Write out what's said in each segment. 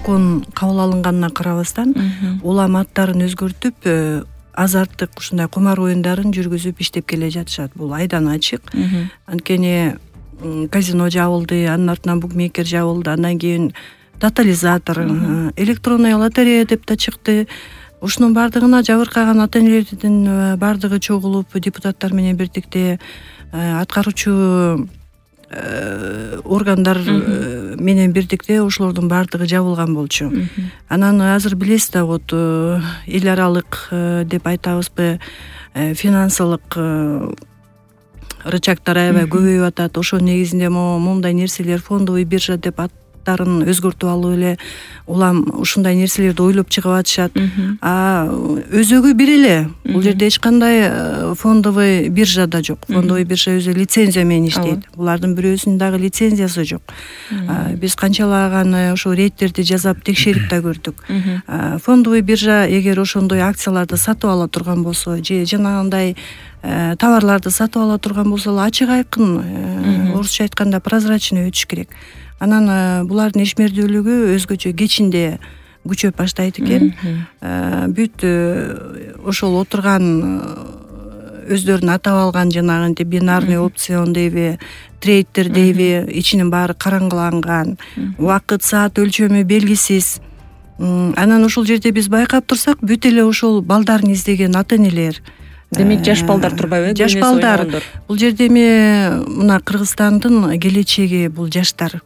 закон кабыл алынганына карабастан улам аттарын өзгөртүп азарттык ушундай кумар оюндарын жүргүзүп иштеп келе жатышат. Бул айдан ачык. Анткени казино жабылды, анын артынан букмекер жабылды, андан кийин тотализатор, электронная лотерея деп да чыкты. Ушунун бардыгына жабыркаган ата-энелердин бардыгы чогулуп, депутаттар менен бирдикте аткаруучу органдар менен бирдикте ошолордун бардыгы жабылган болчу. Анан азыр билесиз да, вот эл аралык деп айтабызбы, финансылык рычагдар аябай көбөйүп атат. Ошо негизинде моундай нерселер фондовый биржа деп аттарын өзгөртүп алып эле улам ушундай нерселерди ойлоп чыгып атышат. Өзөгү бир эле. Бул жерде эч кандай фондовый биржа да жок. Фондовый биржа өзү лицензия менен иштейт. Булардын бирөөсүнүн дагы лицензиясы жок. Биз канчалаган ошо рейдтерди жасап текшерип да көрдүк. Фондовый биржа эгер ошондой акцияларды сатып ала турган болсо же жанагындай товарларды сатып ала турган болсо, ачык айкын, орусча айтканда прозрачный өтүш керек. Анан булардын ишмердүүлүгү өзгөчө кечинде күчөп баштайт экен. Бүт ошол отурган өздөрүнүн атап алган жанагынтип бинарный опцион дейби, трейдтер дейби, ичинин баары караңгыланган, убакыт, саат өлчөмү белгисиз. Анан ошол жерде биз байкап турсак, бүт эле ошол балдарын издеген ата-энелер. Демек жаш балдар турбайбы? Жаш балдар. Бул жерде эми мына Кыргызстандын келечеги бул жаштар.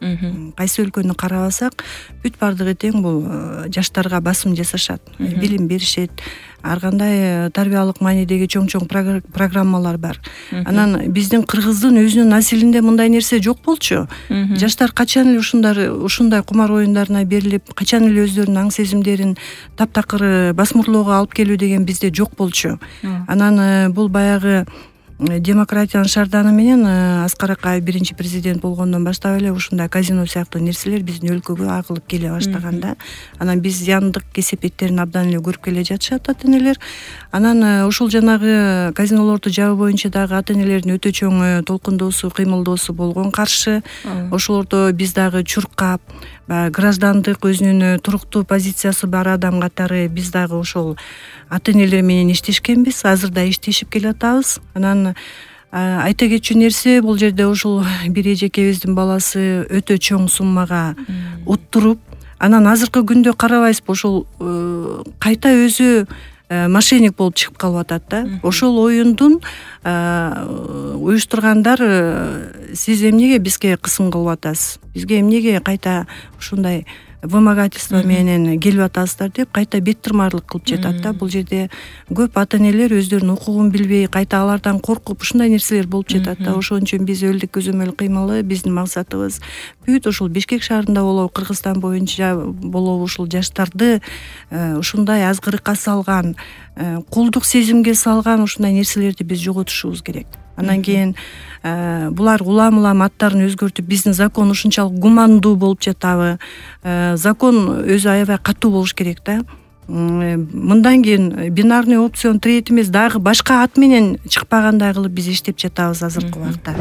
Кайсы өлкөнү карабасак, бүт бардыгы тең бул жаштарга басым жасашат. Билим беришет. Ар кандай тарбиялык маанидеги чоң программалар бар. Анан биздин кыргыздын өзүнүн населинде мындай нерсе жок болчу. Жаштар качан эле ушундай кумар оюндарына берилип, качан эле өздөрүнүн аң сезимдерин таптакыр басмырлоого алып келүү деген бизде жок болчу. Анан бул баягы демократиянын шарданы менен Аскар Акаев биринчи президент болгондон баштап эле ушундай казино сыяктуу нерселер биздин өлкөгө агылып келе баштаганда, анан биз зыяндык кесепеттерин абдан эле көрүп келе жатышат ата-энелер. Анан ошол жанагы казинолорду жабуу боюнча дагы ата-энелердин өтө чоң толкундоосу, кыймылдоосу болгон каршы. Ошолордо биз дагы чуркап, граждандык өзүнүн туруктуу позициясы бар адам катары биз дагы ошол ата-энелер менен иштешкенбиз, азыр да иштешип келатабыз. Анан айта кетчү нерсе, бул жерде ошол бир эжекебиздин баласы өтө чоң суммага уттуруп, анан азыркы күндө карабайсызбы, ошол кайта өзү мошенник болуп чыгып калып атат да. Ошол оюндун уюштургандар сиз эмнеге бизге кысым кылып атасыз? Бизге эмнеге кайта ушундай вымогательство менен келип атасыздар деп кайта бет тырмарлык кылып жатат да. Бул жерде көп ата-энелер өздөрүнүн укугун билбей, кайта алардан коркуп ушундай нерселер болуп жатат да. Ошон үчүн биз элдик көзөмөл кыймылы, биздин максатыбыз бүт ошол Бишкек шаарында болобу, Кыргызстан боюнча болобу ушул жаштарды ушундай азгырыкка салган, кулдук сезимге салган ушундай нерселерди биз жоготушубуз керек. Анан кийин булар улам аттарын өзгөртүп, биздин закон ушунчалык гумандуу болуп жатабы? Закон өзү аябай катуу болуш керек да. Мындан кийин бинарный опцион трейд эмес, дагы башка ат менен чыкпагандай кылып биз иштеп жатабыз азыркы убакта.